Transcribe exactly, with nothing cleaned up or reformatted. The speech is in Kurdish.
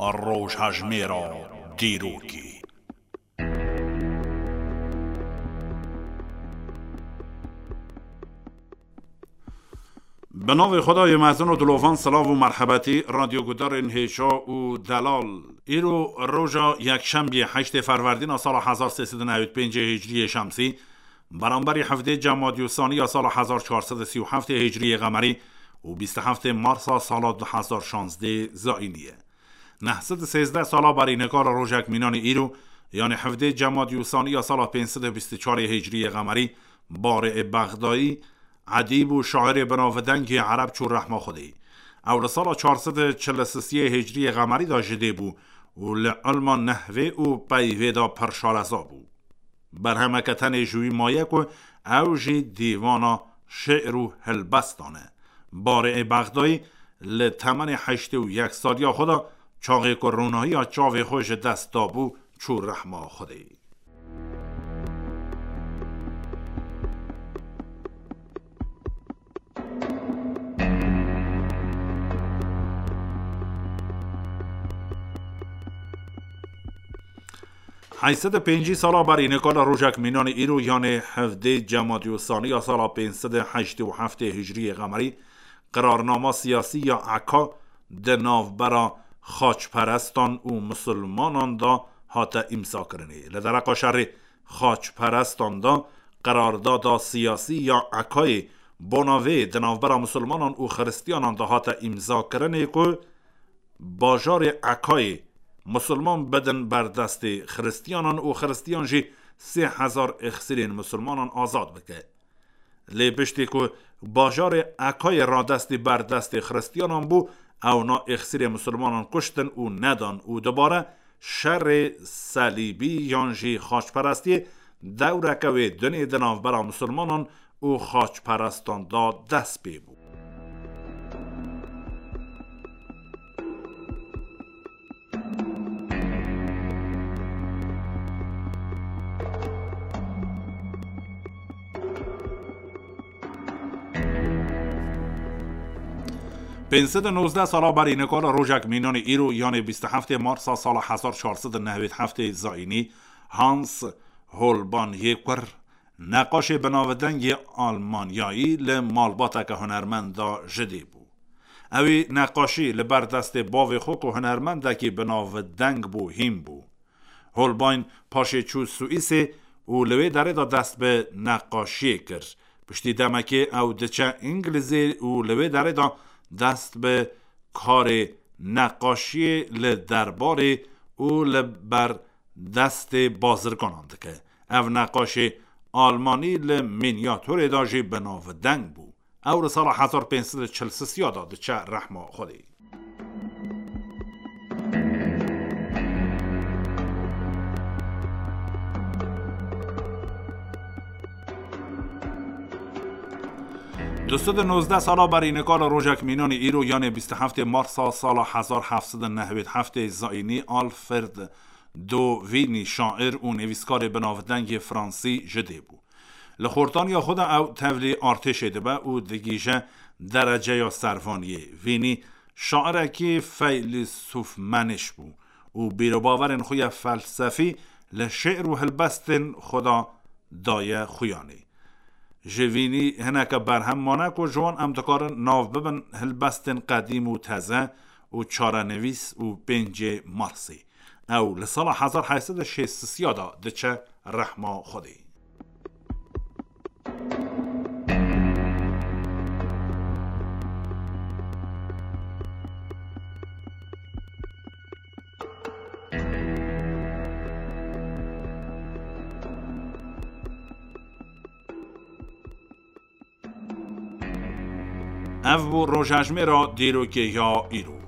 Rojhejmêra dîrokê. Bi navê Xwedayê mezin û dilovan, silav û merhebetî, radyogudarên hêja û delal. Îro roja yekşembiyê, heştê Ferwerdîna sala hezar sê sed û newî pêncê Hicriyê Şemsî, beramberî hevdê Cemadî Sanî ya sala hezar çar sed û sî û heftê Hicriyê Qemerî û bîst û heftê Marsa sala du hezar şazdê Zayînî ye. Neh sed û sêzdeh sala berî nika li rojek mînanê îro, yanê hevdê Cemadî Sanî ya sala pênc sed û bîst û çarê Hicriyê Qemerî, Barê Bexdayî, edîb û şairê binavdengê ereb çû rehma Xwedê. Ew li sala çar sed û çil û sisiyê Hicriyê Qemerî de ji dê bû û li ilma nehvê û peyvê de pir şareza bû. Berhemeke tenê ji wî maye ku ew jî dîwana şi'r û helbestan e. Barê Bexdayî li temenê heştê û yek saliya xwe de, çaxê ku ronahiya çavê xwe ji dest dabû, çû rehma Xwedê. Heyşt sed û pêncî sala berî nika li rojek mînanê îro, yanê hevdê Cemadî Sanî ya sala pênc sed û heştê û heftê Hicriyê Qemerî, qirarnama siyasî ya eka di navbera xaçperestan û misilmanan de hate îmzakirinê. Li dereqa şerê xaçperestan de qirardada siyasî ya ekayê bona vê di navbera misilmanan û xiristiyanan de hate îmzakirinê ku bajarê Ekayê misilman bidin ber destê xiristiyanan û xiristiyan jî sê hezar êxsirên misilmanan azad bike. Lê piştî ku bajarê Ekayê radestî ber destê xiristiyanan bû, ewna êxsirê misilmanan kuştin û nedan û dubare şerê selîbî yan jî xaçperestiyê dewreke wê dinê di navbera misilmanan û xaçperestan de dest pê bû. Pênc sed û nozdeh sala berî nika li rojek mînanê îro, yanê bîst û heftê Marsa sala hezar çar sed û newî heftê zayînî, Hans Holbein yê kur, neqaşê binavdengê Almanyayî, li malbateke hunermend de ji dê bû. Ewî neqaşî li ber destê bavê xwe ku hunermendekî binavdeng bû, hîn bû. Holbein paşê çû Swîsê û li wê derê de dest bi neqaşiyê kir. Piştî demekê ew diçe Îngilizê û li wê derê de dest bi karê neqaşiyê li derbarê û li ber destê bazirganan dike. Ev neqaşê Almanî li mînyatorê de jî binavdeng bû. Ew li sala hezar pênc sed û çil sisiya de diçe rehma Xwedê. Du sed û nozdeh sala berî nika li rojek mînanê îro, yanê bîst û heftê Marsa sala hezar heft sed û newî heftê zayînî, Alfred Dovini, şair û nivîskarê binavdengê fransî ji dê bû. Li xortaniya xwe de ew tevlî artêşê dibe û digihîje dereceya servaniyê. Vînî şairekî feylîsûfmeniş bû û bîrobawerên xwe ya felsefî li şi'r û helbestên xwe de daye xuyanê. Ji Vînî hineke berhem mane ku ji wan em dikarin nav bibin helbestên qedîm û teze û çarenivîs û pêncê Marsê. Ew li sala hezar heyt sed û şêst sisiya de diçe rehma Xwedê. Ev bû rojhejmêra dîrokê ya îro.